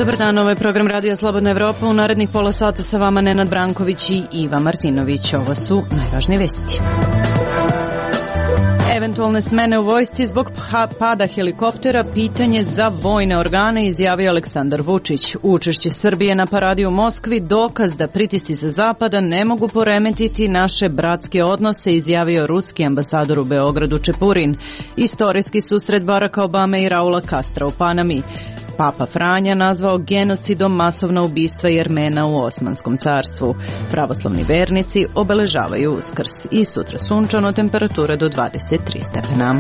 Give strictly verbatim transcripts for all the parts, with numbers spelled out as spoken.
Dobar dan, ovo je program Radija Slobodna Evropa. U narednih pola sata sa vama Nenad Branković i Iva Martinović. Ovo su najvažnije vesti. Eventualne smene u vojsci zbog pada helikoptera pitanje za vojne organe, izjavio Aleksandar Vučić. Učešće Srbije na paradi u Moskvi dokaz da pritisci sa zapada ne mogu poremetiti naše bratske odnose, izjavio ruski ambasador u Beogradu Čepurin. Istorijski susret Baracka Obame i Raula Castra u Panami. Papa Franja nazvao genocidom masovna ubistva Jermena u Osmanskom carstvu. Pravoslavni vernici obeležavaju Uskrs i sutra sunčano, temperatura do dvadeset tri stepena.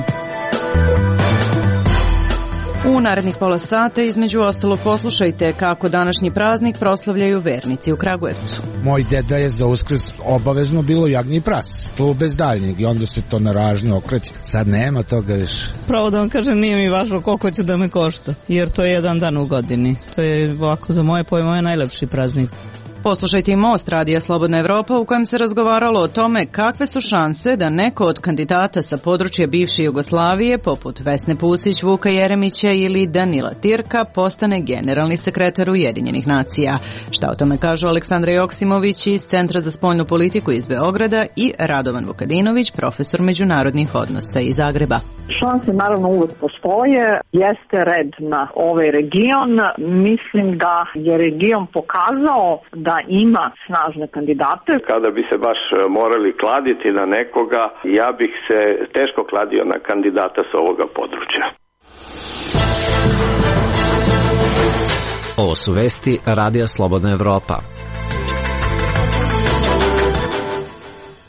U narednih pola sata između ostalo poslušajte kako današnji praznik proslavljaju vernici u Kragujevcu. Moj deda je za Uskrs obavezno bilo jagnji pras, to bez daljnjeg, i onda se to na ražnju okreće. Sad nema toga više. Pravo da vam kažem, nije mi važno koliko će da me košta, jer to je jedan dan u godini. To je ovako za moje pojmove najlepši praznik. Poslušajte i Most Radija Slobodna Evropa u kojem se razgovaralo o tome kakve su šanse da neko od kandidata sa područja bivše Jugoslavije, poput Vesne Pusić, Vuka Jeremića ili Danila Tirka, postane generalni sekretar Ujedinjenih nacija. Šta o tome kažu Aleksandra Joksimović iz Centra za spoljnu politiku iz Beograda i Radovan Vukadinović, profesor međunarodnih odnosa iz Zagreba. Šanse naravno uvek postoje, jeste red na ovaj region. Mislim da je region pokazao da ima snažne kandidate. Kada bi se baš morali kladiti na nekoga, ja bih se teško kladio na kandidata sa ovoga područja. Ovo su vesti Radija Slobodna Evropa.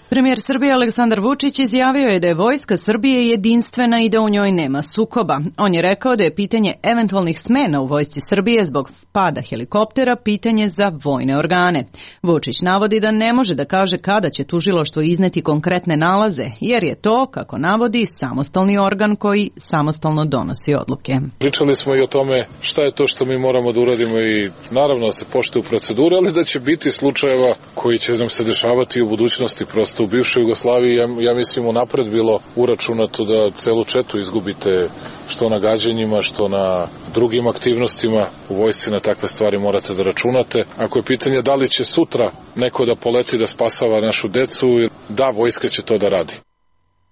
Premijer Srbije Aleksandar Vučić izjavio je da je vojska Srbije jedinstvena i da u njoj nema sukoba. On je rekao da je pitanje eventualnih smena u vojsci Srbije zbog pada helikoptera pitanje za vojne organe. Vučić navodi da ne može da kaže kada će tužilaštvo izneti konkretne nalaze, jer je to, kako navodi, samostalni organ koji samostalno donosi odluke. Pričali smo i o tome šta je to što mi moramo da uradimo i naravno da se poštuju procedure, ali da će biti slučajeva koji će nam se dešavati u budućnosti. Prosto u bivšoj Jugoslaviji, ja, ja mislim, unapred bilo uračunato da celu četu izgubite, što na gađanjima, što na drugim aktivnostima. U vojsci na takve stvari morate da računate. Ako je pitanje da li će sutra neko da poleti da spasava našu decu, da, vojska će to da radi.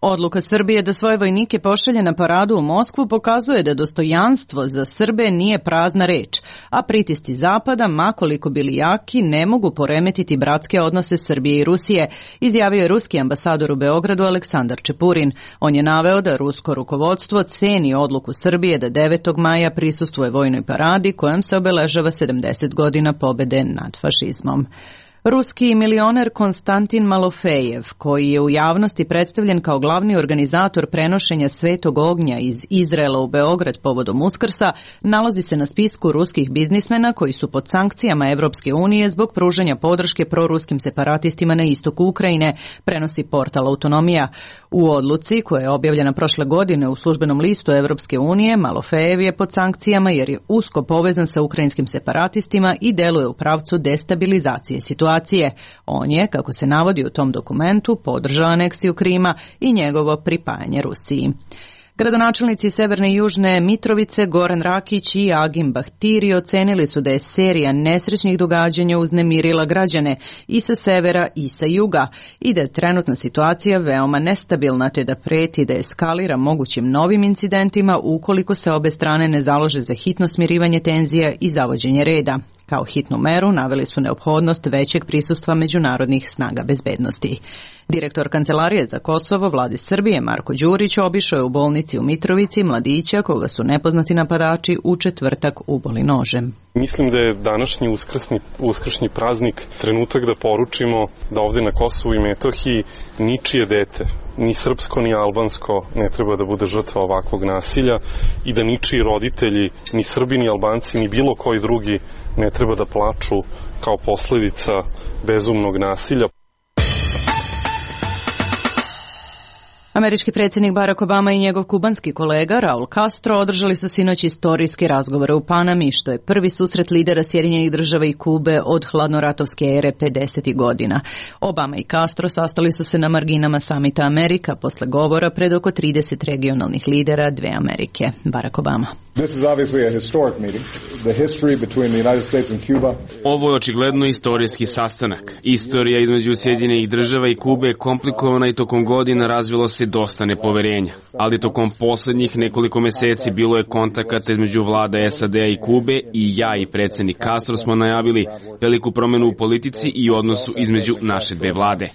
Odluka Srbije da svoje vojnike pošalje na paradu u Moskvu pokazuje da dostojanstvo za Srbe nije prazna reč, a pritisci Zapada, makoliko bili jaki, ne mogu poremetiti bratske odnose Srbije i Rusije, izjavio je ruski ambasador u Beogradu Aleksandar Čepurin. On je naveo da rusko rukovodstvo ceni odluku Srbije da devetog maja prisustvuje vojnoj paradi kojom se obeležava sedamdeset godina pobede nad fašizmom. Ruski milioner Konstantin Malofejev, koji je u javnosti predstavljen kao glavni organizator prenošenja Svetog ognja iz Izraela u Beograd povodom Uskrsa, nalazi se na spisku ruskih biznismena koji su pod sankcijama Evropske unije zbog pružanja podrške proruskim separatistima na istoku Ukrajine, prenosi portal Autonomija. U odluci, koja je objavljena prošle godine u službenom listu Evropske unije, Malofejev je pod sankcijama jer je usko povezan sa ukrajinskim separatistima i deluje u pravcu destabilizacije situacije. On je, kako se navodi u tom dokumentu, podržao aneksiju Krima i njegovo pripajanje Rusiji. Gradonačelnici Severne i Južne Mitrovice Goran Rakić i Agim Bahtiri ocenili su da je serija nesrećnih događanja uznemirila građane i sa severa i sa juga i da je trenutna situacija veoma nestabilna te da preti da eskalira mogućim novim incidentima ukoliko se obe strane ne založe za hitno smirivanje tenzija i zavođenje reda. Kao hitnu meru naveli su neophodnost većeg prisustva međunarodnih snaga bezbednosti. Direktor Kancelarije za Kosovo vlade Srbije Marko Đurić obišao je u bolnici u Mitrovici mladića koga su nepoznati napadači u četvrtak uboli nožem. Mislim da je današnji uskrsni, uskršnji praznik trenutak da poručimo da ovde na Kosovu i Metohiji ničije dete, ni srpsko ni albansko, ne treba da bude žrtva ovakvog nasilja i da ničiji roditelji, ni Srbi ni Albanci ni bilo koji drugi ne treba da plaču kao posledica bezumnog nasilja. Američki predsjednik Barack Obama i njegov kubanski kolega Raul Castro održali su sinoć istorijske razgovore u Panami, što je prvi susret lidera Sjedinjenih država i Kube od hladnoratovske ere pedesetih godina. Obama i Castro sastali su se na marginama samita Amerika posle govora pred oko trideset regionalnih lidera dve Amerike. Barack Obama. Ovo je očigledno istorijski sastanak. Istorija između Sjedinjenih država i Kube je komplikovana i tokom godina razvilo se dosta nepoverenja. Ali tokom poslednjih nekoliko meseci bilo je kontakata između vlada S A D-a i Kube i ja i predsjednik Castro smo najavili veliku promenu u politici i odnosu između naše dve vlade.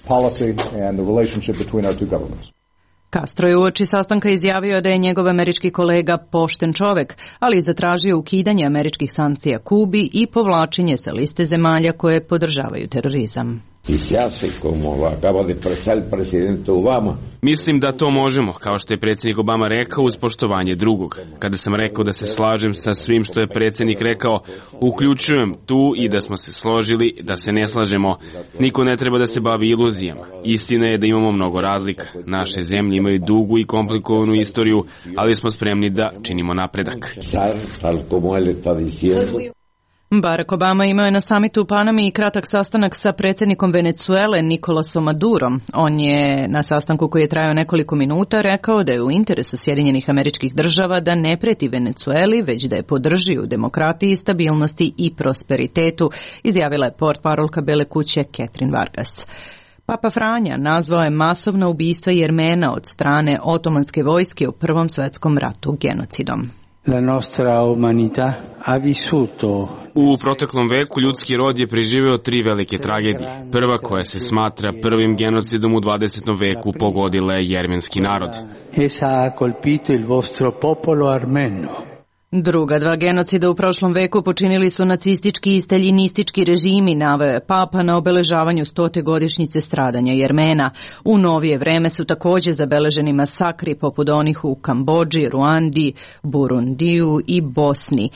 Castro je uoči sastanka izjavio da je njegov američki kolega pošten čovek, ali i zatražio ukidanje američkih sankcija Kubi i povlačenje sa liste zemalja koje podržavaju terorizam. Mislim da to možemo, kao što je predsjednik Obama rekao, uz poštovanje drugog. Kada sam rekao da se slažem sa svim što je predsjednik rekao, uključujem tu i da smo se složili, da se ne slažemo. Niko ne treba da se bavi iluzijama. Istina je da imamo mnogo razlika. Naše zemlje imaju dugu i komplikovanu istoriju, ali smo spremni da činimo napredak. Barack Obama imao je na samitu u Panami i kratak sastanak sa predsjednikom Venecuele Nikolasom Madurom. On je na sastanku koji je trajao nekoliko minuta rekao da je u interesu Sjedinjenih Američkih Država da ne preti Venecueli, već da je podrži u demokratiji, stabilnosti i prosperitetu, izjavila je portparolka Bele kuće Catherine Vargas. Papa Franja nazvao je masovna ubistva Jermena od strane otomanske vojske u Prvom svetskom ratu genocidom. La nostra umanità ha vissuto. U proteklom veku ljudski rod je preživeo tri velike tragedije. Prva, koja se smatra prvim genocidom u dvadesetom veku, pogodila je jermenski narod. Essa ha colpito il vostro popolo armeno. Druga dva genocida u prošlom veku počinili su nacistički i staljinistički režimi, naveo je Papa na obeležavanju stote godišnjice stradanja Jermena. U novije vreme su također zabeleženi masakri poput onih u Kambodži, Ruandi, Burundiju i Bosni.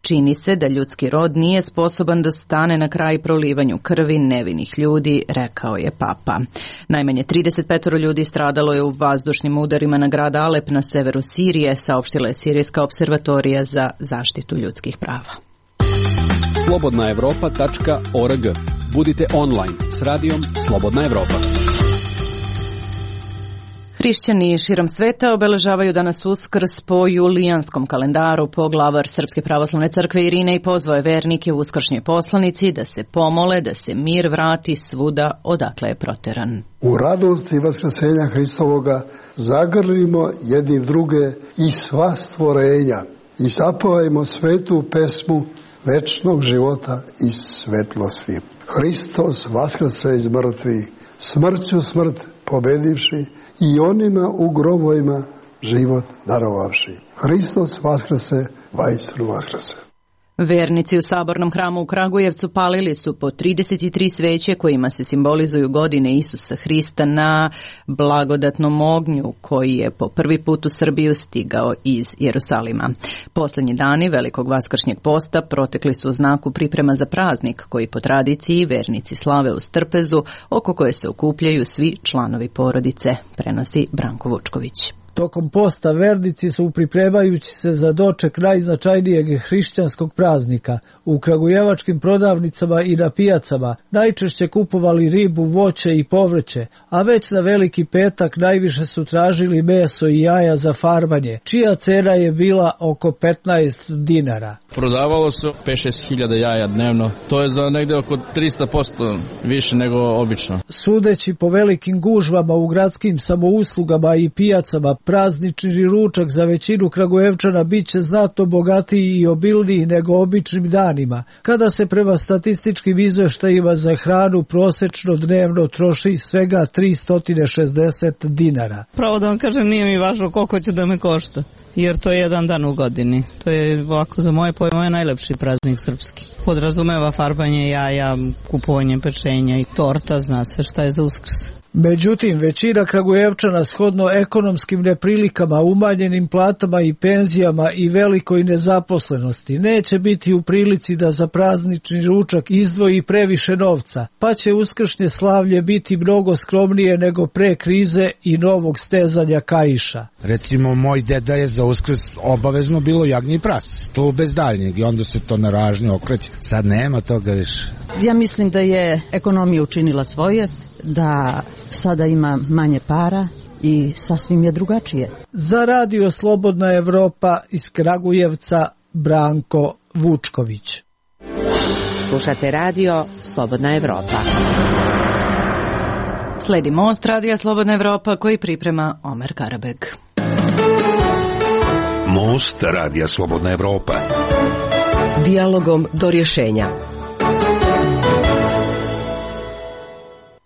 Čini se da ljudski rod nije sposoban da stane na kraj prolivanju krvi nevinih ljudi, rekao je Papa. Najmanje trideset pet ljudi stradalo je u vazdušnim udarima na grad Alep na severu Sirije, saopštila je Sirijska observatorija za zaštitu ljudskih prava. slobodna evropa tačka org. Budite online s radijom Slobodna Evropa. Hrišćani širom sveta obeležavaju danas Uskrs po julijanskom kalendaru. Poglavar Srpske pravoslavne crkve Irine i pozvao je vernike u uskršnjoj poslanici da se pomole, da se mir vrati svuda odakle je proteran. U radosti vaskrsenja Hristovoga zagrlimo jedni druge i sva stvorenja i zapevajmo svetu pesmu večnog života i svetlosti. Hristos vaskrse iz mrtvih, smrću smrt pobedivši i onima u grobovima život darovavši. Hristos vaskrse, vajstru vaskrse. Vernici u Sabornom hramu u Kragujevcu palili su po trideset tri sveće kojima se simbolizuju godine Isusa Hrista na blagodatnom ognju koji je po prvi put u Srbiju stigao iz Jerusalima. Poslednji dani velikog vaskršnjeg posta protekli su u znaku priprema za praznik koji po tradiciji vernici slave u Strpezu, oko koje se okupljaju svi članovi porodice, prenosi Branko Vučković. Tokom posta vernici su pripremajući se za doček najznačajnijeg hrišćanskog praznika u kragujevačkim prodavnicama i na pijacama najčešće kupovali ribu, voće i povrće, a već na Veliki petak najviše su tražili meso i jaja za farbanje, čija cena je bila oko petnaest dinara. Prodavalo se pet šest hiljada jaja dnevno, to je za negde oko tristo posto više nego obično. Sudeći po velikim gužvama u gradskim samouslugama i pijacama, praznični ručak za većinu Kragujevčana bit će znatno bogatiji i obilniji nego običnim danima, kada se prema statističkim izveštajima za hranu prosečno dnevno troši svega tristo šezdeset dinara. Pravo da vam kažem, nije mi važno koliko će da me košta, jer to je jedan dan u godini. To je ovako za moje pojmove najlepši praznik srpski. Podrazumeva farbanje jaja, kupovanje pečenja i torta, zna se šta je za Uskrs. Međutim, većina Kragujevčana shodno ekonomskim neprilikama, umanjenim platama i penzijama i velikoj nezaposlenosti neće biti u prilici da za praznični ručak izdvoji previše novca, pa će uskršnje slavlje biti mnogo skromnije nego pre krize i novog stezanja kaiša. Recimo, moj deda je za Uskrs obavezno bilo jagnje i prase. To bez daljnjeg i onda se to na ražnje okreće. Sad nema toga više. Ja mislim da je ekonomija učinila svoje, da sada ima manje para i sasvim je drugačije. Za Radio Slobodna Evropa iz Kragujevca, Branko Vučković. Slušate Radio Slobodna Evropa. Sledi Most Radija Slobodna Evropa koji priprema Omer Karabeg. Most Radija Slobodna Evropa. Dijalogom do rješenja.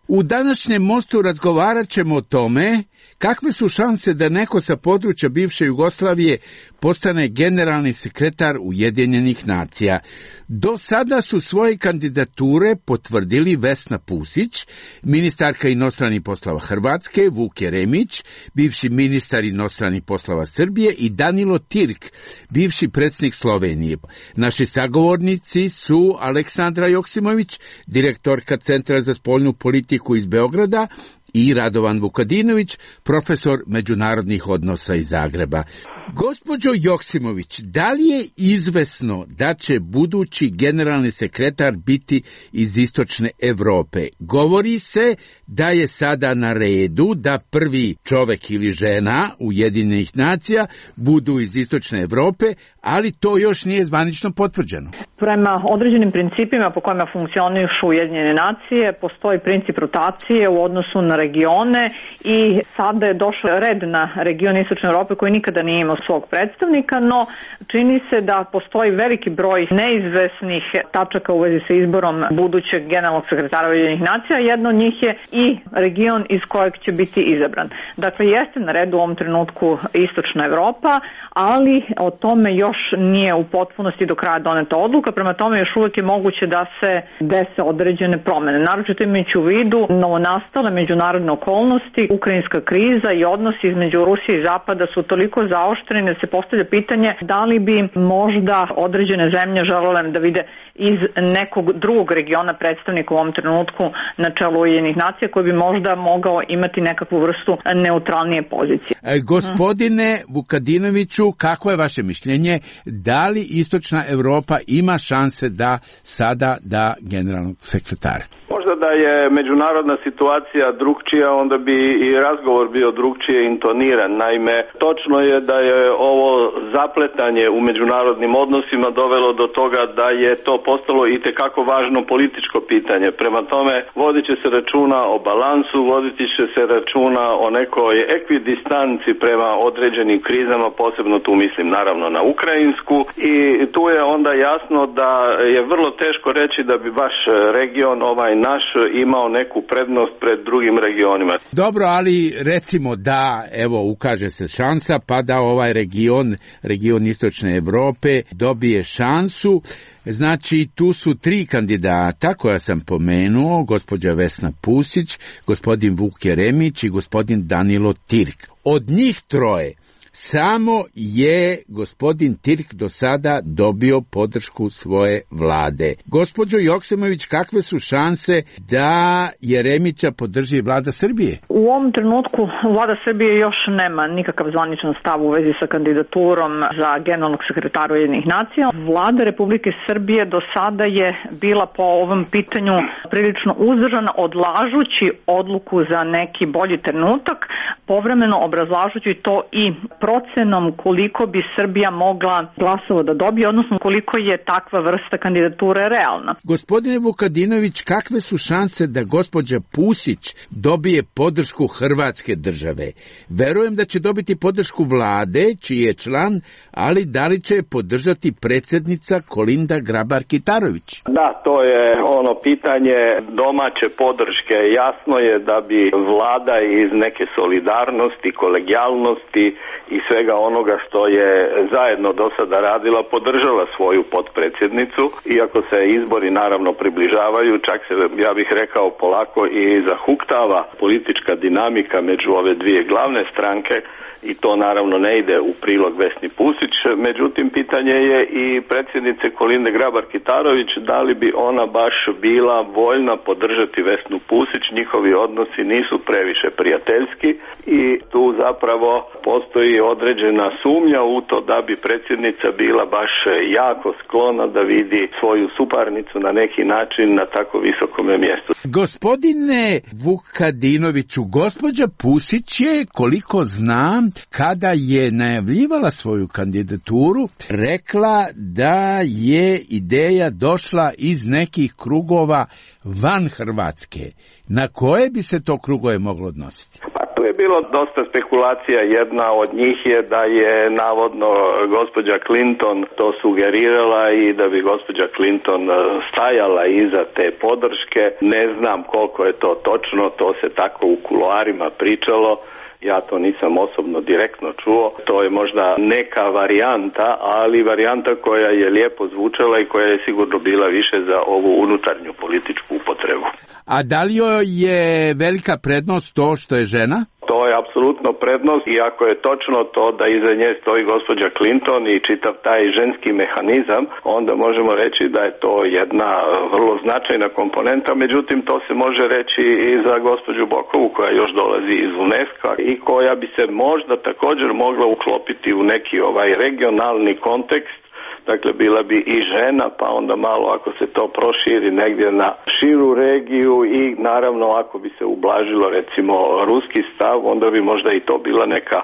U današnjem Mostu razgovarat ćemo o tome kakve su šanse da neko sa područja bivše Jugoslavije postane generalni sekretar Ujedinjenih nacija. Do sada su svoje kandidature potvrdili Vesna Pusić, ministarka inostranih poslova Hrvatske, Vuk Jeremić, bivši ministar inostranih poslova Srbije i Danilo Tirk, bivši predsjednik Slovenije. Naši sagovornici su Aleksandra Joksimović, direktorka Centra za spoljnu politiku iz Beograda, i Radovan Vukadinović, profesor međunarodnih odnosa iz Zagreba. Gospođo Joksimović, da li je izvesno da će budući generalni sekretar biti iz istočne Evrope? Govori se da je sada na redu da prvi čovek ili žena Ujedinjenih nacija budu iz istočne Evrope, ali to još nije zvanično potvrđeno. Prema određenim principima po kojima funkcionišu Ujedinjene nacije, postoji princip rotacije u odnosu na regione i sada je došao red na region istočne Evrope koji nikada nije imao svog predstavnika, no čini se da postoji veliki broj neizvesnih tačaka u vezi sa izborom budućeg generalnog sekretara Ujedinjenih nacija. Jedno od njih je i region iz kojeg će biti izabran. Dakle, jeste na redu u ovom trenutku istočna Evropa, ali o tome još nije u potpunosti do kraja doneta odluka, prema tome još uvijek je moguće da se dese određene promene. Naročito imajući u vidu novonastale međunarodne okolnosti, ukrajinska kriza i odnosi između Rusije i Zapada su toliko zaoštreni da se postavlja pitanje da li bi možda određene zemlje želele da vide iz nekog drugog regiona predstavnika u ovom trenutku na čelu Ujedinjenih nacija koji bi možda mogao imati nekakvu vrstu neutralnije pozicije. E, gospodine Vukadinoviću, kako je vaše mišljenje? Da li istočna Evropa ima šanse da sada da generalnog sekretara? Možda da je međunarodna situacija drugčija, onda bi i razgovor bio drugčije intoniran. Naime, točno je da je ovo zapletanje u međunarodnim odnosima dovelo do toga da je to postalo itekako važno političko pitanje. Prema tome, vodit će se računa o balansu, vodit će se računa o nekoj ekvidistanci prema određenim krizama, posebno tu mislim naravno na ukrajinsku, i tu je onda jasno da je vrlo teško reći da bi baš region ovaj naš imao neku prednost pred drugim regionima. Dobro, ali recimo da, evo, ukaže se šansa, pa da ovaj region, region istočne Evrope dobije šansu. Znači, tu su tri kandidata koja sam pomenuo, gospođa Vesna Pusić, gospodin Vuk Jeremić i gospodin Danilo Tirk. Od njih troje samo je gospodin Tirk do sada dobio podršku svoje vlade. Gospođo Joksimović, kakve su šanse da Jeremića podrži vlada Srbije? U ovom trenutku vlada Srbije još nema nikakav zvaničan stav u vezi sa kandidaturom za generalnog sekretara Ujedinjenih nacija. Vlada Republike Srbije do sada je bila po ovom pitanju prilično uzdržana, odlažući odluku za neki bolji trenutak, povremeno obrazlažući to i procenom koliko bi Srbija mogla glasova da dobije, odnosno koliko je takva vrsta kandidature realna. Gospodine Vukadinović, kakve su šanse da gospođa Pusić dobije podršku Hrvatske države? Verujem da će dobiti podršku vlade, čiji je član, ali da li će je podržati predsjednica Kolinda Grabar-Kitarović? Da, to je ono pitanje domaće podrške. Jasno je da bi vlada iz neke solidarnosti, kolegijalnosti i svega onoga što je zajedno do sada radila, podržala svoju potpredsjednicu, iako se izbori naravno približavaju, čak se, ja bih rekao, polako i zahuktava politička dinamika među ove dvije glavne stranke i to naravno ne ide u prilog Vesni Pusić. Međutim, pitanje je i predsjednice Kolinde Grabar-Kitarović, da li bi ona baš bila voljna podržati Vesnu Pusić. Njihovi odnosi nisu previše prijateljski i tu zapravo postoji određena sumnja u to da bi predsjednica bila baš jako sklona da vidi svoju suparnicu na neki način na tako visokome mjestu. Gospodine Vukadinoviću, gospođa Pusić je, koliko znam, kada je najavljivala svoju kandidaturu, rekla da je ideja došla iz nekih krugova van Hrvatske. Na koje bi se to krugove moglo odnositi? Pa tu je bilo dosta spekulacija. Jedna od njih je da je navodno gospođa Clinton to sugerirala i da bi gospođa Clinton stajala iza te podrške. Ne znam koliko je to točno, to se tako u kuloarima pričalo. Ja to nisam osobno direktno čuo, to je možda neka varijanta, ali varijanta koja je lijepo zvučala i koja je sigurno bila više za ovu unutarnju političku upotrebu. A da li joj je velika prednost to što je žena? To je apsolutno prednost i ako je točno to da iza nje stoji gospođa Clinton i čitav taj ženski mehanizam, onda možemo reći da je to jedna vrlo značajna komponenta, međutim to se može reći i za gospođu Bokovu koja još dolazi iz UNESCO i koja bi se možda također mogla uklopiti u neki ovaj regionalni kontekst. Dakle, bila bi i žena, pa onda malo ako se to proširi negdje na širu regiju i naravno ako bi se ublažilo recimo ruski stav, onda bi možda i to bila neka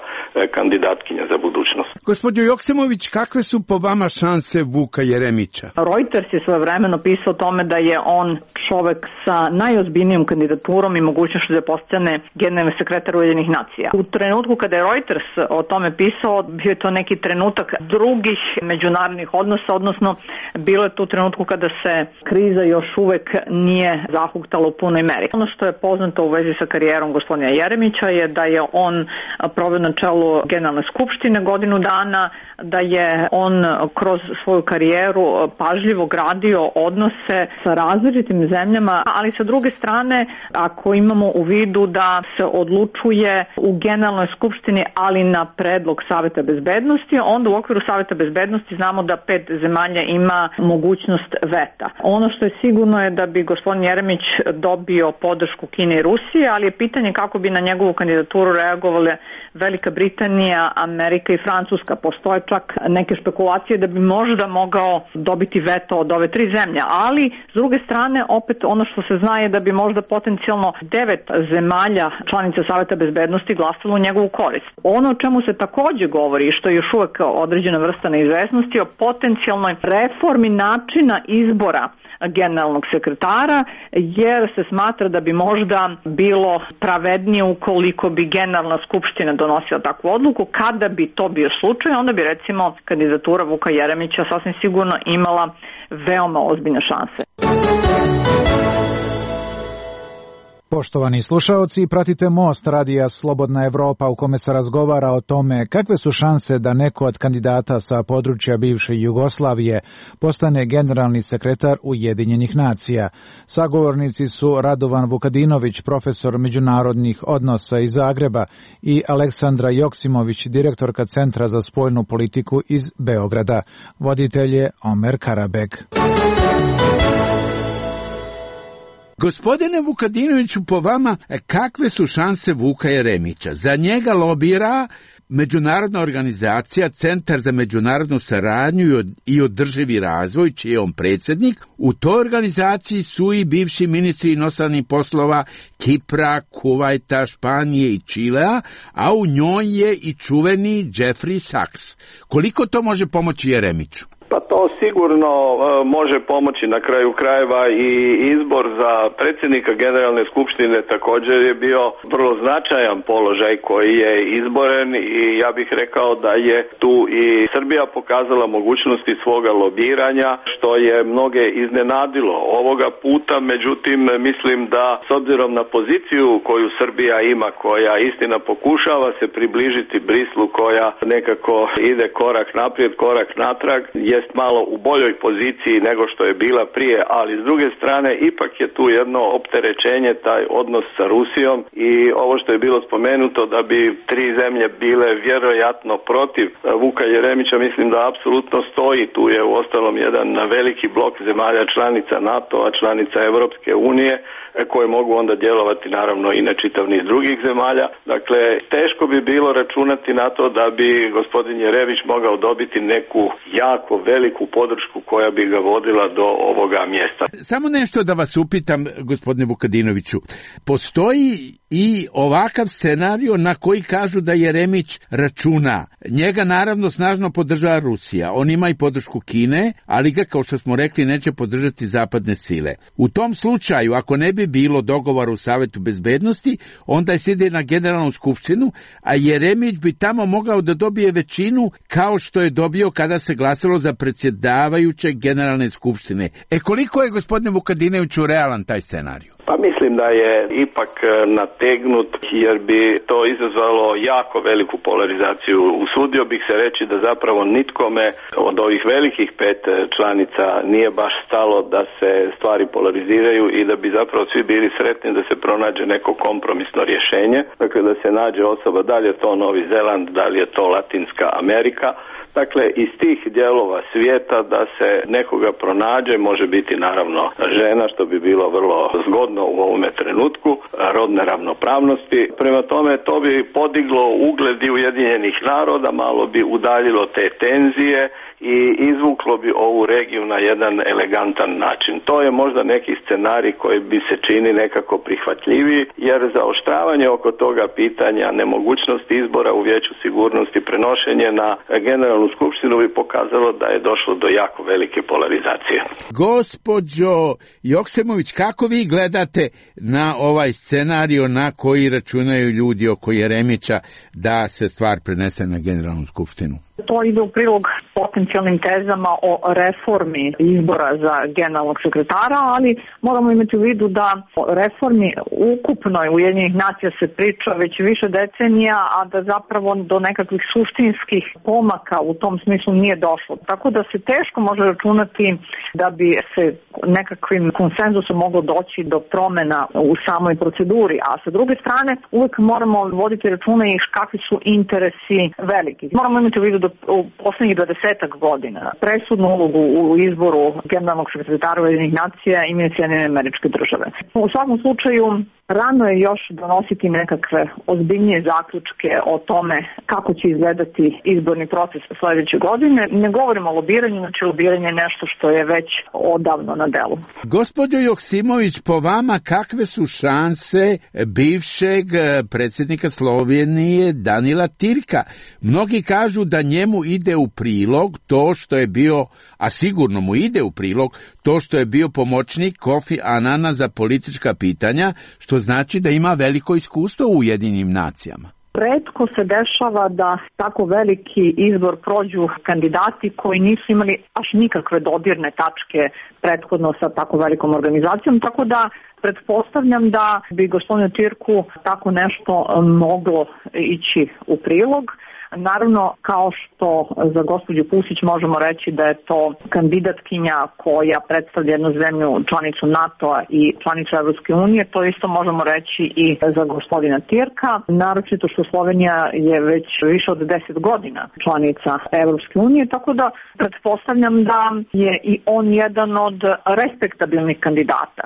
kandidatkinja za budućnost. Gospođo Joksimović, kakve su po vama šanse Vuka Jeremića? Reuters je svojevremeno pisao o tome da je on čovek sa najozbiljnijom kandidaturom i mogućnošću da postane generalni sekretar Ujedinjenih nacija. U trenutku kada je Reuters o tome pisao, bio je to neki trenutak drugih međunarodnih odnosa, odnosno bilo je tu trenutku kada se kriza još uvek nije zahuktala u punoj meri. Ono što je poznato u vezi sa karijerom gospodina Jeremića je da je on proveo na čelu Generalne skupštine godinu dana, da je on kroz svoju karijeru pažljivo gradio odnose sa različitim zemljama, ali sa druge strane, ako imamo u vidu da se odlučuje u Generalnoj skupštini, ali na predlog Saveta bezbednosti, onda u okviru Saveta bezbednosti znamo da pet zemalja ima mogućnost veta. Ono što je sigurno je da bi gospodin Jeremić dobio podršku Kine i Rusije, ali je pitanje kako bi na njegovu kandidaturu reagovale Velika Britanija, Amerika i Francuska. Postoje čak neke špekulacije da bi možda mogao dobiti veto od ove tri zemlje, ali s druge strane opet ono što se zna je da bi možda potencijalno devet zemalja članica Saveta bezbednosti glasalo u njegovu korist. Ono o čemu se takođe govori, što je još uvek određena vrsta neizvesnosti, o potencijalnoj reformi načina izbora generalnog sekretara, jer se smatra da bi možda bilo pravednije ukoliko bi generalna skupština donosila takvu odluku. Kada bi to bio slučaj, onda bi recimo kandidatura Vuka Jeremića sasvim sigurno imala veoma ozbiljne šanse. Poštovani slušaoci, pratite Most radija Slobodna Evropa u kome se razgovara o tome kakve su šanse da neko od kandidata sa područja bivše Jugoslavije postane generalni sekretar Ujedinjenih nacija. Sagovornici su Radovan Vukadinović, profesor međunarodnih odnosa iz Zagreba, i Aleksandra Joksimović, direktorka Centra za spoljnu politiku iz Beograda. Voditelj je Omer Karabek. Gospodine Vukadinoviću, po vama, kakve su šanse Vuka Jeremića? Za njega lobira međunarodna organizacija Centar za međunarodnu saradnju i održivi razvoj, čiji je on predsjednik. U toj organizaciji su i bivši ministri inostranih poslova Kipra, Kuvajta, Španije i Čilea, a u njoj je i čuveni Jeffrey Sachs. Koliko to može pomoći Jeremiću? Pa to sigurno uh, može pomoći. Na kraju krajeva i izbor za predsjednika Generalne skupštine također je bio vrlo značajan položaj koji je izboren i ja bih rekao da je tu i Srbija pokazala mogućnosti svoga lobiranja, što je mnoge iznenadilo ovoga puta. Međutim, mislim da s obzirom na poziciju koju Srbija ima, koja istina pokušava se približiti Brislu, koja nekako ide korak naprijed, korak natrag, jest malo u boljoj poziciji nego što je bila prije, ali s druge strane ipak je tu jedno opterećenje, taj odnos sa Rusijom i ovo što je bilo spomenuto da bi tri zemlje bile vjerojatno protiv Vuka Jeremića, mislim da apsolutno stoji. Tu je uostalom jedan veliki blok zemalja članica NATO-a, članica Europske unije, koje mogu onda djelovati naravno i na čitav niz drugih zemalja. Dakle, teško bi bilo računati na to da bi gospodin Jeremić mogao dobiti neku jako veliku podršku koja bi ga vodila do ovoga mjesta. Samo nešto da vas upitam, gospodine Vukadinoviću. Postoji i ovakav scenario na koji kažu da Jeremić računa. Njega naravno snažno podržava Rusija. On ima i podršku Kine, ali ga, kao što smo rekli, neće podržati zapadne sile. U tom slučaju, ako ne bi bilo dogovora u Savetu bezbednosti, onda je sjede na Generalnu skupštinu, a Jeremić bi tamo mogao da dobije većinu kao što je dobio kada se glasalo za predsjedavajućeg Generalne skupštine. E koliko je, gospodine Vukadinoviću, realan taj scenarij? Pa mislim da je ipak nategnut jer bi to izazvalo jako veliku polarizaciju. Usudio bih se reći da zapravo nitkome od ovih velikih pet članica nije baš stalo da se stvari polariziraju i da bi zapravo svi bili sretni da se pronađe neko kompromisno rješenje. Dakle, da se nađe osoba, da li je to Novi Zeland, da li je to Latinska Amerika. Dakle, iz tih dijelova svijeta da se nekoga pronađe, može biti naravno žena, što bi bilo vrlo zgodno u ovome trenutku, rodne ravnopravnosti. Prema tome, to bi podiglo ugled i Ujedinjenih naroda, malo bi udaljilo te tenzije i izvuklo bi ovu regiju na jedan elegantan način. To je možda neki scenarij koji bi se čini nekako prihvatljiviji, jer zaoštravanje oko toga pitanja, nemogućnost izbora u Vijeću sigurnosti, prenošenje na Generalnu skupštinu bi pokazalo da je došlo do jako velike polarizacije. Gospođo Joksemović, kako vi gledate na ovaj scenario na koji računaju ljudi oko Jeremića da se stvar prenese na Generalnu skupštinu? To ide u prilog potencijalnim tezama o reformi izbora za generalnog sekretara, ali moramo imati u vidu da o reformi ukupnoj Ujedinjenih nacija se priča već više decenija, a da zapravo do nekakvih suštinskih pomaka u tom smislu nije došlo. Tako da se teško može računati da bi se nekakvim konsenzusom moglo doći do promena u samoj proceduri, a sa druge strane uvek moramo voditi računa i kakvi su interesi veliki. Moramo imati u vidu da u poslednjih dvadesetak godina presudnu ulogu u izboru generalnog sekretara Ujedinjenih nacija imaju Sjedinjene Američke Države. U svakom slučaju, rano je još donositi nekakve ozbiljnije zaključke o tome kako će izgledati izborni proces sledeće godine. Ne govorimo o lobiranju, znači lobiranje je nešto što je već odavno na delu. Gospođo Joksimović, po vama kakve su šanse bivšeg predsjednika Slovenije Danila Tirka? Mnogi kažu da njemu ide u prilog to što je bio, a sigurno mu ide u prilog, to što je bio pomoćnik Kofi Anana za politička pitanja, što znači da ima veliko iskustvo u Ujedinjenim nacijama. Retko se dešava da tako veliki izbor prođu kandidati koji nisu imali baš nikakve dodirne tačke prethodno sa tako velikom organizacijom, tako da pretpostavljam da bi gospodinu Tirku tako nešto moglo ići u prilog. Naravno, kao što za gospođu Pusić možemo reći da je to kandidatkinja koja predstavlja jednu zemlju članicu NATO-a i članicu Evropske unije, to isto možemo reći i za gospodina Tirka, naročito što Slovenija je već više od deset godina članica Evropske unije, tako da pretpostavljam da je i on jedan od respektabilnih kandidata.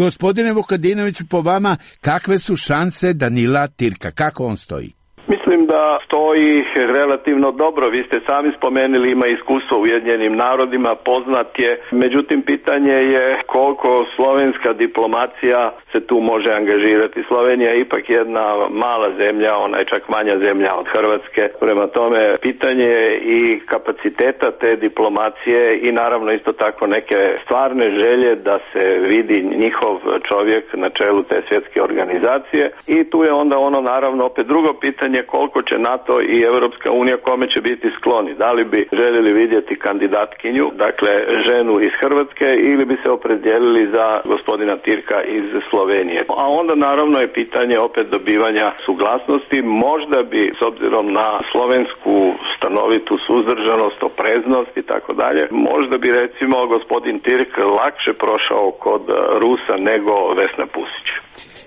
Gospodine Vukadinoviću, po vama kakve su šanse Danila Tirka? Kako on stoji? Mislim da stoji relativno dobro. Vi ste sami spomenuli, ima iskustvo u Ujedinjenim narodima, poznat je. Međutim, pitanje je koliko slovenska diplomacija se tu može angažirati. Slovenija je ipak jedna mala zemlja, ona je čak manja zemlja od Hrvatske. Prema tome, pitanje je i kapaciteta te diplomacije i naravno isto tako neke stvarne želje da se vidi njihov čovjek na čelu te svjetske organizacije. I tu je onda ono naravno opet drugo pitanje koliko će NATO i Europska unija kome će biti skloni. Da li bi željeli vidjeti kandidatkinju, dakle ženu iz Hrvatske, ili bi se opredijelili za gospodina Tirka iz Slovenije. A onda naravno je pitanje opet dobivanja suglasnosti. Možda bi s obzirom na slovensku stanovitu suzdržanost, opreznost i tako dalje, možda bi recimo gospodin Tirk lakše prošao kod Rusa nego Vesna Pusić.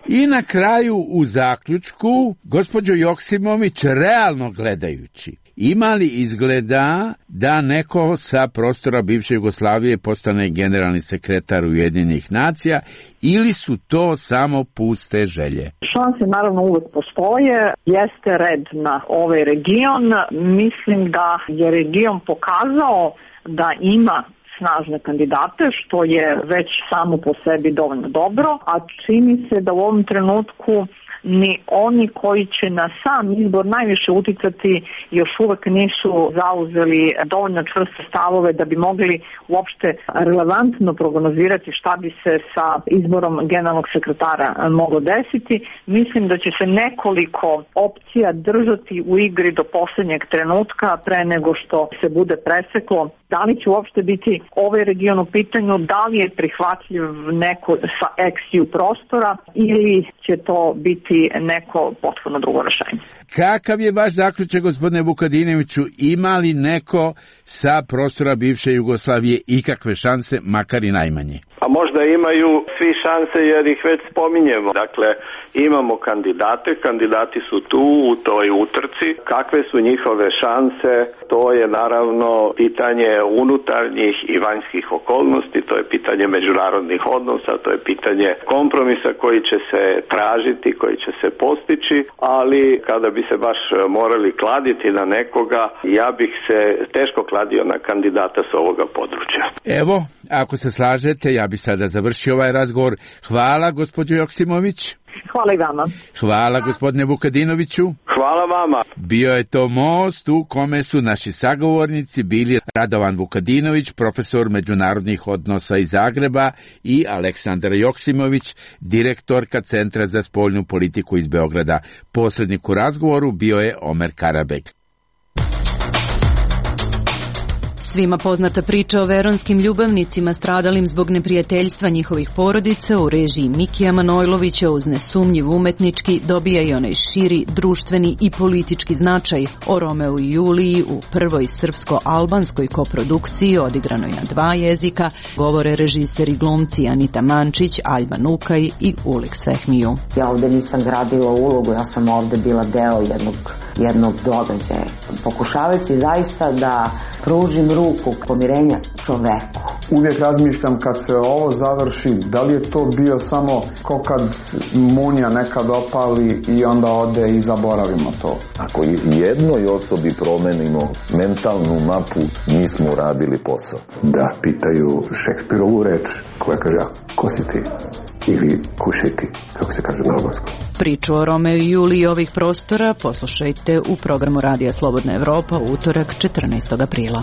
I na kraju u zaključku, gospođo Joksimović, realno gledajući, ima li izgleda da neko sa prostora bivše Jugoslavije postane generalni sekretar Ujedinjenih nacija ili su to samo puste želje? Šanse naravno uvek postoje, jeste red na ovaj region. Mislim da je region pokazao da ima snažne kandidate, što je već samo po sebi dovoljno dobro, a čini se da u ovom trenutku ni oni koji će na sam izbor najviše uticati još uvek nisu zauzeli dovoljno čvrste stavove da bi mogli uopšte relevantno prognozirati šta bi se sa izborom generalnog sekretara moglo desiti. Mislim da će se nekoliko opcija držati u igri do poslednjeg trenutka pre nego što se bude preseklo. Da li će uopšte biti ovaj region u pitanju, da li je prihvatljiv neko sa eksiju prostora ili će to biti neko potpuno drugo rešenje. Kakav je vaš zaključak, gospodine Vukadinoviću, ima li neko sa prostora bivše Jugoslavije ikakve šanse, makar i najmanje? A možda imaju svi šanse jer ih već spominjemo. Dakle, imamo kandidate, kandidati su tu u toj utrci. Kakve su njihove šanse? To je naravno pitanje unutarnjih i vanjskih okolnosti, to je pitanje međunarodnih odnosa, to je pitanje kompromisa koji će se tražiti, koji će se postići, ali kada bi se baš morali kladiti na nekoga, ja bih se teško kladio na kandidata s ovoga područja. Evo, ako se slažete, ja bi sada završio ovaj razgovor. Hvala, gospođo Joksimović. Hvala i vama. Hvala, gospodine Vukadinoviću. Hvala vama. Bio je to most u kome su naši sagovornici bili Radovan Vukadinović, profesor međunarodnih odnosa iz Zagreba, i Aleksandra Joksimović, direktorka Centra za spoljnu politiku iz Beograda. Posrednik u razgovoru bio je Omer Karabek. Svima poznata priča o veronskim ljubavnicima stradalim zbog neprijateljstva njihovih porodica u režiji Mikija Manojlovića uz nesumnjiv umetnički dobija i onaj širi, društveni i politički značaj. O Romeu i Juliji u prvoj srpsko-albanskoj koprodukciji odigranoj na dva jezika govore režiseri glumci Anita Mančić, Aljba Nukaj i Ulik Svehmiju. Ja ovde nisam gradila ulogu, ja sam ovde bila deo jednog, jednog događaja. Pokušavajući zaista da pružim ruku pomirenja čoveku. Uvijek razmišljam kad se ovo završi, da li je to bio samo ko kad munja nekad opali i onda ode i zaboravimo to. Ako jednoj osobi promenimo mentalnu mapu, mi smo uradili posao. Da pitaju Šekspirovu reč koja kaže, a ko si ti? Ili kušiti, kako se kaže na albanskom. Priču o Romeu i Juliji ovih prostora poslušajte u programu Radija Slobodna Evropa u utorak četrnaestog aprila.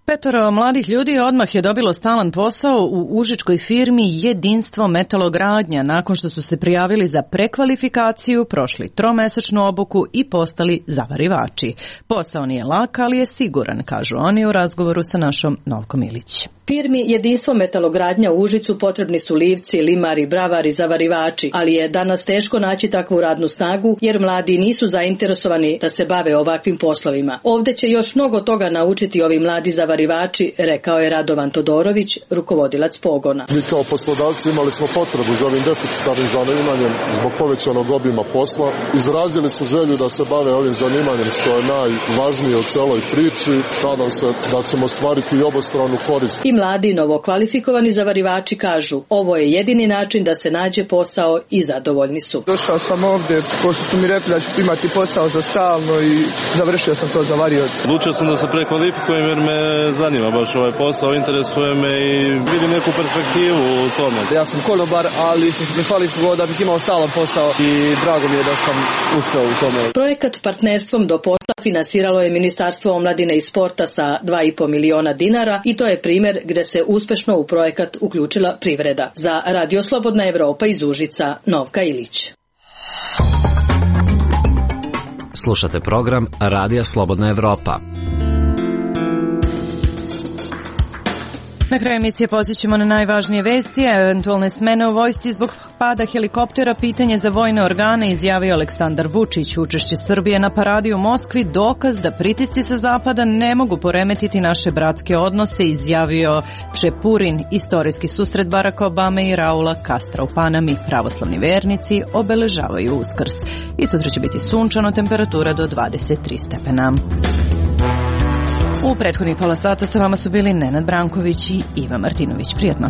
Petoro mladih ljudi odmah je dobilo stalan posao u užičkoj firmi Jedinstvo metalogradnja nakon što su se prijavili za prekvalifikaciju, prošli tromesečnu obuku i postali zavarivači. Posao nije lak, ali je siguran, kažu oni u razgovoru sa našom Novkom Ilić. Firmi Jedinstvo metalogradnja u Užicu potrebni su livci, limari, bravari, zavarivači, ali je danas teško naći takvu radnu snagu jer mladi nisu zainteresovani da se bave ovakvim poslovima. Ovde će još mnogo toga naučiti ovi mladi zavarivači zavarivači, rekao je Radovan Todorović, rukovodilac pogona. Mi kao poslodavci imali smo potrebu za ovim deficitarnim zanimanjem zbog povećanog obima posla. Izrazili su želju da se bave ovim zanimanjem, što je najvažnije u celoj priči. Nadam se da ćemo ostvariti i obostranu korist. I mladi novokvalifikovani zavarivači kažu, ovo je jedini način da se nađe posao i zadovoljni su. Došao sam ovdje, pošto su mi rekli da ću imati posao za stalno i završio sam to za varioc. Odlučio sam da se prekvalifikujem jer me zanima baš ovaj posao, interesuje me i vidim neku perspektivu u tome. Ja sam konobar, ali sam se prekvalifikovao da bih imao stalan posao i drago mi je da sam uspeo u tome. Projekat Partnerstvom do posla finansiralo je Ministarstvo omladine i sporta sa dva i po miliona dinara i to je primjer gdje se uspešno u projekat uključila privreda. Za Radio Slobodna Evropa iz Užica, Novka Ilić. Slušate program Radija Slobodna Evropa. Na kraju emisije posjećemo na najvažnije vesti, a eventualne smene u vojsci zbog pada helikoptera pitanje za vojne organe, izjavio Aleksandar Vučić. Učešće Srbije na paradi u Moskvi dokaz da pritisci sa zapada ne mogu poremetiti naše bratske odnose, izjavio Čepurin. Istorijski susret Baracka Obame i Raula Castra u Panami. Pravoslavni vernici obeležavaju Uskrs. I sutra će biti sunčano, temperatura do dvadeset tri stepena. U prethodnih pola sata sa vama su bili Nenad Branković i Iva Martinović. Prijetno.